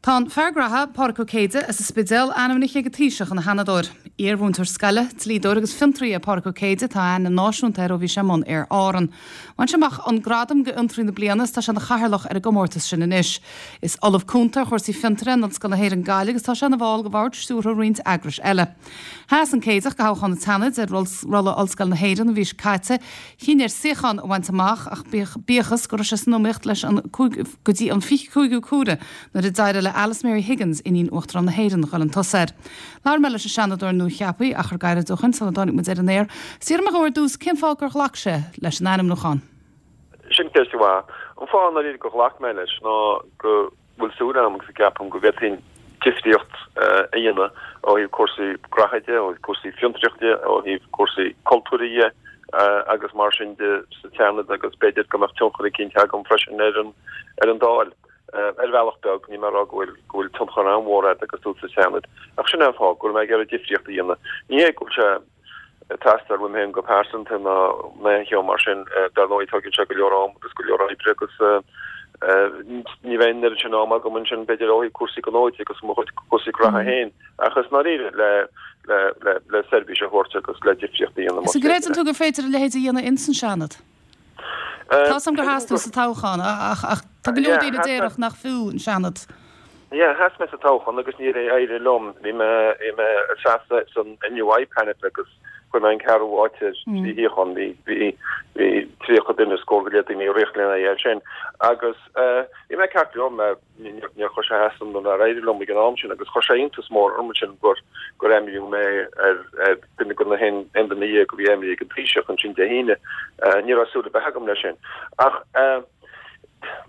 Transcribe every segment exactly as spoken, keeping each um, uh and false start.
Tá an fear graithe Pádraig Ó Céide as an Spidéal ainmnithe ag an Taoiseach ina Sheanadóir. Iar-mhúinteoir scoile, dlíodóir agus fiontraí é Pádraig Ó Céide tá aithne náisiúnta air ó bhí sé i mbun Aer Árann. Bhain sé amach an gradam d'Fhiontraí na Bliana is tá sé ina chathaoirleach ar an gcomórtas sin anois. Is ollamh cúnta ar chúrsaí fiontair in Ollscoil na hÉireann Gaillimh agus tá sé ina bhall de bhord stiúrtha roinnt eagrais eile. Sheas an Céideach do thoghchán an tSeanaid ar rolla Ollscoil na hÉireann an mhí seo caite, chinn air suíochán a bhaint amach ach bíodh go raibh sé san iomaíocht leis an go dtí an fiche cúigiú cuaire nuair a d'éirigh le Alice Mary Higgins iníon Uachtarán na hÉireann dhul chun tosaigh air. Labhair mé leis an Seanadóir nuacheaptha achar gairid ó shin sula dtáinig muid ar an aer. D'iarr mé ar dtús cén fáth gur ghlac sé leis an ainmniúchán. Sin ceist mhaith. An fáth ná gur ghlac mé leis ná go bhfuil súil agam agus ceapaim go bhféadfainn difríocht a dhéanamh ó thaobh cúrsaí graithe de, ó thaobh cúrsaí fiontraíochta, ó thaobh cúrsaí cultúir de agus mar sin de sa Seanad agus b'fhéidir go mbeadh tionchar eicínt agam freisin ar an ar an Dáil. Ar bhealach beag ní mar go bhfuil go bhfuil tionchar an-mhór agat agus tú sa Seanad. Ach sin an fáth go bhfuil mé ag iarraidh difríocht a dhéanamh. Ní hé go bhfuil sé ag teastáil uaim féin go pearsanta ná aon cheo mar sin dar ndóigh tógann sé go leor am agus go leor oibre agus ní bheidh an oiread sin am agam ansin b'fhéidir ó thaobh cúrsaí gnó de agus mo chuid cúrsaí graithe féin ach is ndáiríre le le le le seirbhís a thabhairt agus le difríocht a dhéanamh. Is gcreideann tú gur féidir a leithéid a dhéanamh ins an Seanad? Tá sam gur sheas tú sa toghchán ach ach tá go leor daoine a déarfadh nach fiú an Seanad. Yeah, sheas mé sa toghchán agus níor éirigh liom bhí mé bhí mé ag seasamh san N U I panel agus chuir mé an ceathrú háit trí shuíochán bhí bhí bhí tríocha duine scór go leith daoine ag rith lena aghaidh sin agus bhí mé ceart liom níor chuir sé as dom nár éirigh liom ag an am sin agus chuir sé iontas mór orm sin gur gur ainmníodh mé ar ar duine de na haon duine déag a bhí ainmnithe ag an Taoiseach ansin Dé hAoine ní raibh súil ar bith agam leis sin ach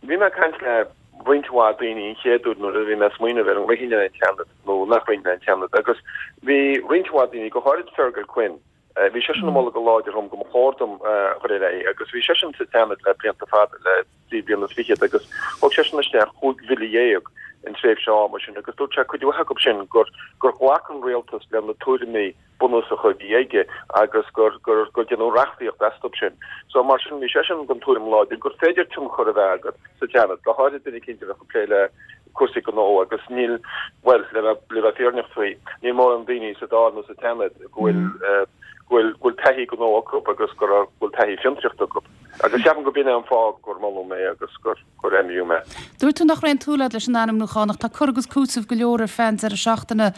bhí mé ag caint le roinnt mhaith daoine an chéad uair nuair a bhí mé ag smaoineamh ar an rithinn an Seanad nó nach rithinn an Seanad agus bhí roinnt mhaith daoine go háirid Fergal Quinn bhí seisean ag moladh go láidir dom go mba chóir dom chur ar aghaidh agus bhí seisean sa Seanad le blianta fada le trí bliana is fichead agus thug seisean isteach cúig bhille dhéag in tréimhse ama sin agus dúirt sé cuid mhaith acu sin gur gur ghlac an rialtas le na tuairimí bunúsacha a bhí aige agus gur gur gur déanadh reachtaíocht astu sin. So mar sin bhí seisean den tuairim láidir gur féidir tionchar a bheith agat sa Seanad go háirid duine eicínt a bheith ag plé le cúrsaí gnó agus níl well le le bheith fírinneach faoi níl mórán daoine sa Dáil nó sa Seanad go bhfuil go bhfuil go bhfuil taithí gnó acu agus gur bhfuil taithí fiontraíochta acu. Agus ceapaim go b'in é an fáth gur moladh mé agus gur gur ainmníodh mé. Dúirt tú nach raibh aon tsúil agat leis an ainmniúchán ach tá cur agus cúiteamh go leor ar feadh an deireadh seachtaine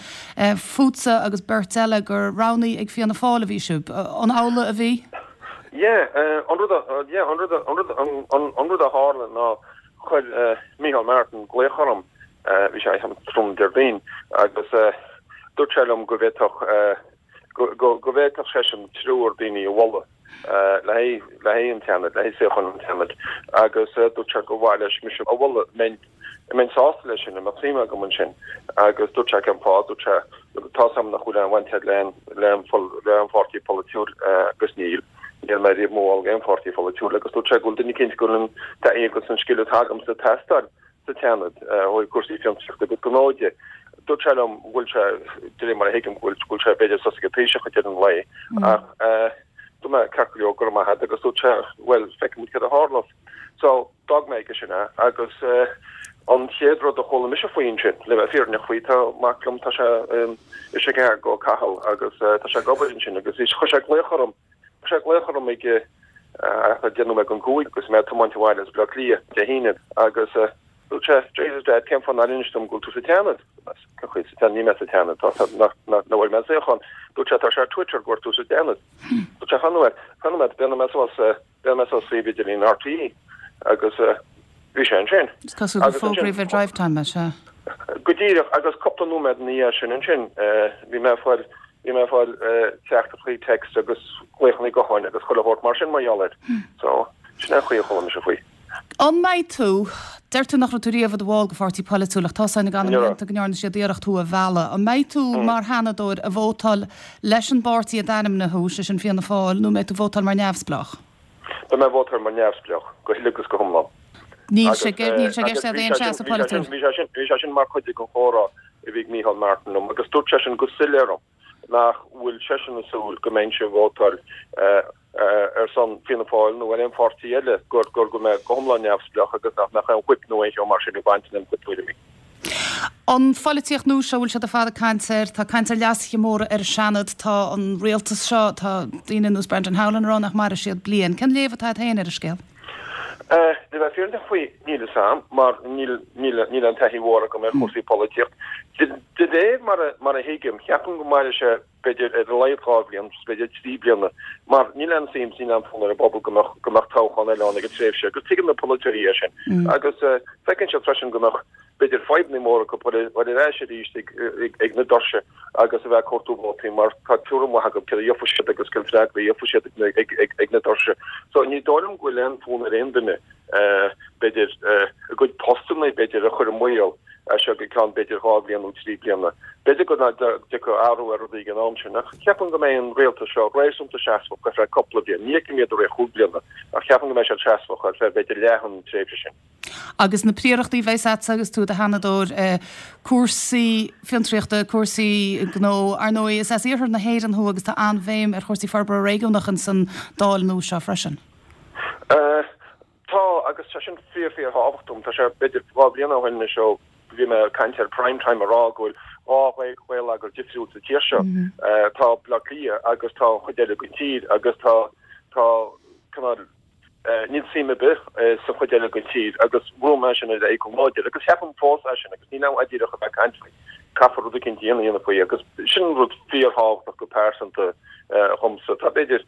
fútsa agus beirt eile gur roghnaithe ag Fianna Fáil a bhí sibh. An amhlaidh a bhí? Yeah, an rud yeah, an rud an rud an rud a tharla ná chuir Micheál Martin glaoch orm bhí sé an trom Déardaoin agus dúirt sé liom go bhféadfadh go go bhféadfadh seisean triúr daoine a mholadh le le an Seanad le suíochán an tSeanaid agus dúirt sé go bhfuil leis mise a mholadh mbeinn mbeinn sásta leis sin mbeadh suim agam ansin agus dúirt sé cén fáth dúirt sé tá sam nach bhfuil aon bhaint le le le an pháirtí polaitiúil agus níl níl mé riamh i mo bhall aon pháirtí polaitiúil agus dúirt sé go bhfuil duine eicínt go bhfuil an taithí agus an scil atá agamsa ag teastáil sa Seanad ó thaobh cúrsaí fiontraíochta agus gnó de. Dúirt sé liom bhfuil sé de réir mar a thuigim go bhfuil go bhfuil sé b'fhéidir sos ag an Taoiseach ar an lae ach dúirt mé ceart go leor go raibh maith agat agus dúirt sé well feicfidh muid cad a tharlós. So d'fhág mé aige sin é agus an chéad rud a chuala mise faoi sin le bheith fírinneach faoi tá mac liom tá sé i Chicago Cathal agus tá sé ag obair ansin agus chuir sé glaoch orm sé glaoch orm ag deich nóiméad don cúig agus mé ag tiomáint abhaile as Baile Átha Cliath Dé hAoine agus dúirt sé Jesus Dad cén fáth nár inis dom go bhfuil tú sa Seanad chuid sa ní mé sa Seanad tá nach bhfuil mé suíochán dúirt sé tá sé ar Twitter go bhfuil tú sa Seanad Dúirt sé fan nóiméad fan nóiméad b'fhéidir mé suas b'fhéidir mé suas suíomh idirlín R T E agus bhí sé ansin. Is cosúil gur fógraíodh ar Drivetime é se. Go díreach agus cúpla nóiméad ina dhiaidh sin ansin bhí mé fáil bhí mé fáil teachtaireachtaí text agus glaochanna gutháin agus chuile shórt mar sin mar gheall air. So sin an chaoi a chuala mise faoi. An mbeidh tú deir tú nach raibh tú riamh i do bhall de pháirtí polaitiúil ach tá san gan go ndearna siad iarracht thú a mhealladh. An mbeidh tú mar Sheanadóir ag vótáil leis an bpáirtí a d'ainmnigh thú sé sin Fianna Fáil nó mbeidh tú ag vótáil mar neamhspleách? Beidh mé ag vótáil mar neamhspleách go huile agus go hiomlán. Níl sé níl sé ceist aon seasamh polaitiúil. Bhí sé sin bhí sé sin mar chuid den chomhrá a bhí Micheál Martin liom agus dúirt sé sin go soiléir liom nach bhfuil seisean ag súil go mbeinn ag vótáil ar son Fianna Fáil nó ar aon pháirtí eile gur gur go mbeidh go hiomlán neamhspleách agus nach mbeadh aon whip nó aon cheo mar sin ag baint lena chuid tuairimí. An pholaitíocht nua seo, bhfuil siad ar fad ag caint air, tá caint ar leasuithe móra ar an Seanad, tá an rialtas seo, tá daoine ar nós Brendan Howlin ag rá nach mairfidh siad bliain. Cén léamh atá agat féin ar an scéal? Le bheith fírinneach faoi, níl fhios a'm, mar níl níl aon taithí mhór agam ar chúrsaí polaitíocht. De réir mar a mar a thuigim, ceapaim go mairfidh sé b'fhéidir ar a laghad dhá bhliain, b'fhéidir trí bliana, mar níl aon suim is níl aon fhonn ar an bpobal go mbeadh go mbeadh toghchán eile ann ag an tréimhse, agus tuigeann na polaiteoirí é sin. Agus feiceann siad freisin go mbeadh b'fhéidir fadhbanna móra acu dhul ar ais arís ag na doirse agus a bheith ag cuartú vótaí mar tá tuairim mhaith acu céard a gheobhaidh siad agus cén freagra a gheobhaidh siad ag na doirse. So ní dóigh liom go bhfuil aon fhonn ar aon duine b'fhéidir a gcuid postanna b'fhéidir a chur i mbaol as seo go ceann b'fhéidir dhá bhliain nó trí bliana. B'fhéidir go dtiocfaidh athrú ar rudaí ag an am sin ach ceapaim go mbeidh an rialtas seo réasúnta seasmhach ar feadh cúpla bliain. Ní fheicim iad i rith chúig bliana ach ceapaim go mbeidh siad seasmhach ar feadh b'fhéidir leath an tréimhse sin. Agus na príorachtaí a bheas agatsa agus tú i do Sheanadóir, cúrsaí fiontraíochta, cúrsaí gnó, ar ndóigh is as iarthar na hÉireann thú agus tá an-bhéim ar chúrsaí forbartha réigiúnach ins an Dáil nua seo freisin. Tá, agus tá sin fíor fíor thábhachtach dom. Tá sé b'fhéidir dhá bhliain ó shin anois ó bhí mé ag caint ar Prime Time ag rá go bhfuil dhá gheilleagar difriúil sa tír seo. Tá Baile Átha Cliath agus tá an chuid eile den tír agus tá tá cineál Níl suim ar bith sa chuid eile den tír agus bhrúigh mé sin ar aghaidh go láidir agus ceapaim fós é sin agus níl ann díreach a bheith ag caint faoi. Caithfear rud eicínt a dhéanamh faoi agus sin rud fíorthábhachtach go pearsanta dhomsa. Tá b'fhéidir,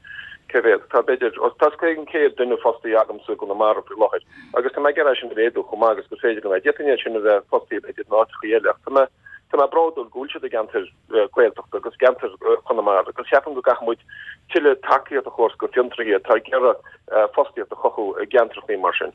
cé mhéad, tá b'fhéidir, tá os cionn céad duine fostaithe agamsa i gConamara faoi láthair agus tá mé ag iarraidh é sin a mhéadú chomh maith agus gur féidir liom é. D'fhéadfainn iad sin a bheith fostaithe b'fhéidir in áiteachaí eile ach tá mé, Tá mé bródúil go bhfuil siad i gceantar Gaeltachta agus gceantar Chonamara agus ceapaim go gcaithfidh muid tuilleadh tacaíocht a thabhairt go fiontraithe atá ag iarraidh fostaíocht a chothú i gceantrachaí mar sin.